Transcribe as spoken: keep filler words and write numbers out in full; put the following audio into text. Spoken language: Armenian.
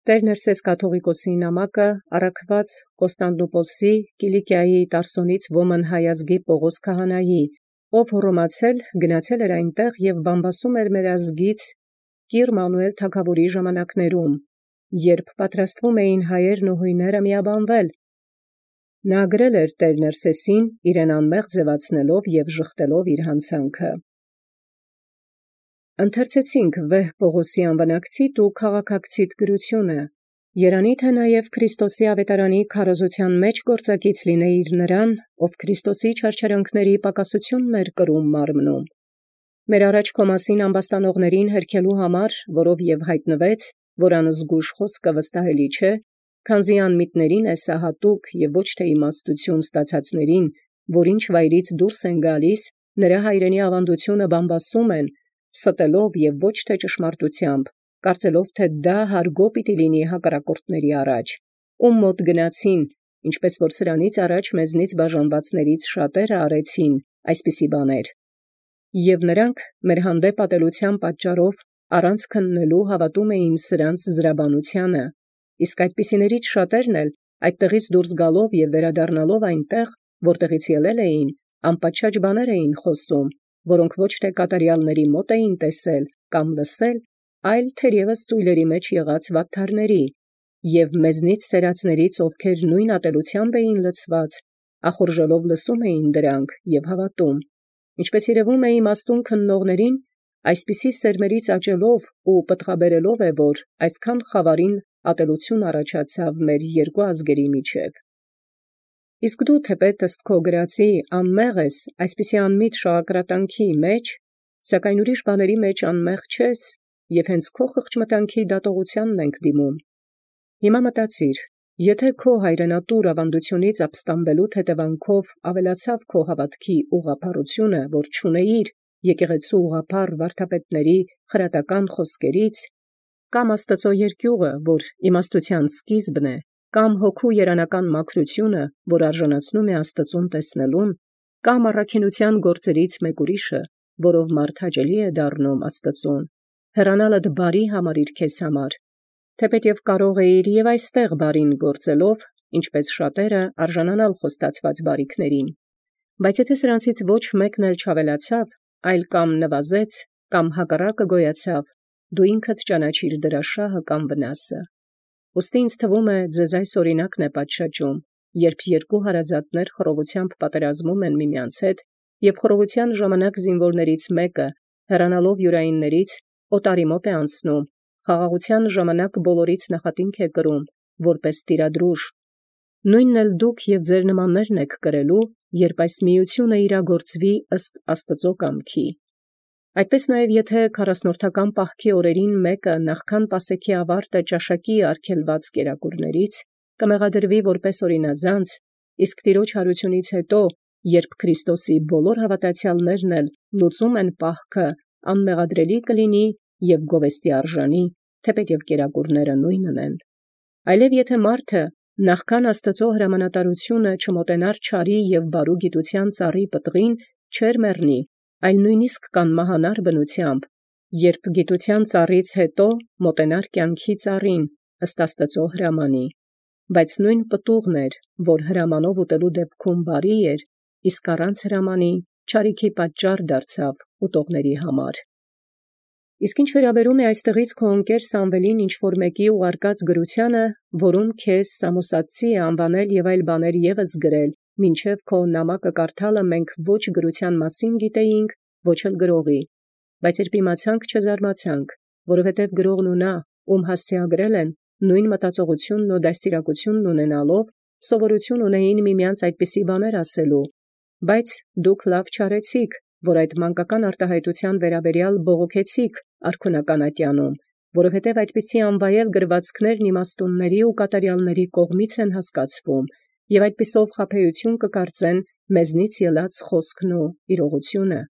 Տեր Ներսես կաթուղիկոսի նամակը առաքված Կոստանդնուպոլսի Կիլիկիայի Տարսոնից ոմն հայազգի Պողոս քահանայի, ով հռոմացել գնացել էր այնտեղ և բամբասում էր մեր ազգից Կիր Մանուել թագաւորի ժամանակներում, երբ պատրաստվում էին հայերն ու հույները միաբանվել, նա գրել էր Տեր Ներսեսին իրեն անմեղ ձևացնելով և ժխտելով իր հանցանքը։ Ընթերցեցինք վեհ Պողոսի անվանակցիտ ու քաղաքակցիտ գրությունը, երանի թե նաև Քրիստոսի ավետարանի քարոզության մեջ գործակից լինեիր նրան, ով Քրիստոսի չարչարանքների պակասությունն էր կրում մարմնում։ Մեր առաջ քո մասին ամբաստանողներին հերքելու համար, որով և հայտնվեց, որ անզգույշ խոսքը վստահելի չէ, քանզի անմիտներին է սա հատուկ և ոչ թե իմաստություն ստացածներին, որ ինչ վայրից դուրս են գալիս, նրա հայրենի ավանդությունը բամբասում են, ստելով և ոչ թե ճշմարտությամբ, կարծելով թե դա հարգո պիտի լինի հակառակորդների առաջ, ում մոտ գնացին, ինչպես որ սրանից առաջ մեզնից բաժանվածներից շատերը արեցին այսպիսի բաներ, և նրանք մեր հանդեպ ատելության պատճառով առանց քննելու հավատում էին սրանց զրաբանությանը, իսկ այդպիսիներից շատերն էլ այդտեղից դուրս գալով և վերադառնալով այնտեղ, որտեղից ելել էին, անպատշաճ բաներ էին խոսում, որոնք ոչ թե կատարյալների մոտ էին տեսել կամ լսել, այլ թերևս ծույլերի մեջ եղած վատթարների, և մեզնից սերածներից, ովքեր նույն ատելությամբ էին լցված, ախորժելով լսում էին դրանք և հավատում, ինչպես երևում է իմաստուն քննողներին, այսպիսի սերմերից աճելով ու պտղաբերելով է, որ այսքան խավարին ատելություն առաջացավ մեր երկու ազգերի միջև։ Իսկ դու թեպետ ըստ քո գրածի անմեղ ես այսպիսի անմիտ շաղակրատանքի մեջ, սակայն ուրիշ բաների մեջ անմեղ չես, և հենց քո խղճմտանքի դատողությանն ենք դիմում։ Հիմա մտածիր, եթե քո հայրենատուր ավանդությունից ապստամբելուց հետևանքով ավելացավ քո հավատքի ուղղափառությունը, որ չունեիր եկեղեցու ուղղափառ վարդապետների խրատական խոսքերից, կամ Աստծո երկյուղը, որ իմաստության սկիզբն է, կամ հոգու երանական մաքրությունը, որ արժանացնում է Աստծուն տեսնելուն, կամ առաքինության գործերից մեկ ուրիշը, որով մարդ հաճելի է դառնում Աստծուն, հեռանալդ բարի համարիր քեզ համար, թեպետև կարող էիր և այստեղ բարին գործելով, ինչպես շատերը արժանանալ խոստացված բարիքներին, բայց եթե սրանցից ոչ մեկն էլ չավելացավ, այլ կամ նվազեց, կամ հակառակը գոյացավ, դու ինքդ ճանաչիր դրա շահը կամ վնասը։ Ուստի ինձ թվում է ձեզ այս օրինակն է պատշաճում, երբ երկու հարազատներ խռովությամբ պատերազմում են միմյանց հետ, և խռովության ժամանակ զինվորներից մեկը, հեռանալով յուրայիններից, օտարի մոտ է անցնում, խաղաղության ժամանակ բոլորից նախատինք է կրում, որպես տիրադրուժ։ Նույնն էլ դուք և ձեր նմաններն եք կրելու, երբ այս միությունը իրագործվի ըստ Աստծո կամքի։ Այդպես նաև եթե քառասնորդական պահքի օրերին մեկը նախքան Պասեքի ավարտը ճաշակի արգելված կերակուրներից, կմեղադրվի որպես օրինազանց, իսկ Տիրոջ հարությունից հետո, երբ Քրիստոսի բոլոր հավատացյալներն էլ լուծում են պահքը, անմեղադրելի կլինի և գովեստի արժանի, թեպետև կերակուրները նույնն են։ Այլև եթե մարդը նախքան Աստծո հրամանատարությունը չմոտենար չարի և բարու գիտության ծառի պտղին, չէր մեռնի, այլ նույնիսկ կանմահանար բնությամբ, երբ գիտության ծառից հետո մոտենար կյանքի ծառին, ըստ Աստծո հրամանի, բայց նույն պտուղն էր, որ հրամանով ուտելու դեպքում բարի էր, իսկ առանց հրամանի չարիքի պատճառ դարձավ ուտողների համար։ Իսկ ինչ վերաբերում է այստեղից քո ընկեր Սամվելին ինչ-որ մեկի ուղարկած գրությանը, որում քեզ Սամոսատցի է անվանել և այլ բաներ ևս գրել, մինչև քո նամակը կարդալը մենք ոչ գրության մասին գիտեինք, ոչ էլ գրողի, բայց երբ իմացանք, չզարմացանք, որովհետև գրողն ու նա, ում հասցեագրել են, նույն մտածողությունն ու դաստիարակությունն ունենալով, սովորություն ունեին միմյանց այդպիսի բաներ ասելու, բայց դուք լավ չարեցիք, որ այդ մանկական արտահայտության վերաբերյալ բողոքեցիք արքունական ատյանում, որովհետև այդպիսի անվայել գրվածքներն իմաստունների ու կատարյալների կողմից են հասկացվում, և այդպիսով խաբեություն կկարծեն մեզնից ելած խոսքն ու իրողությունը։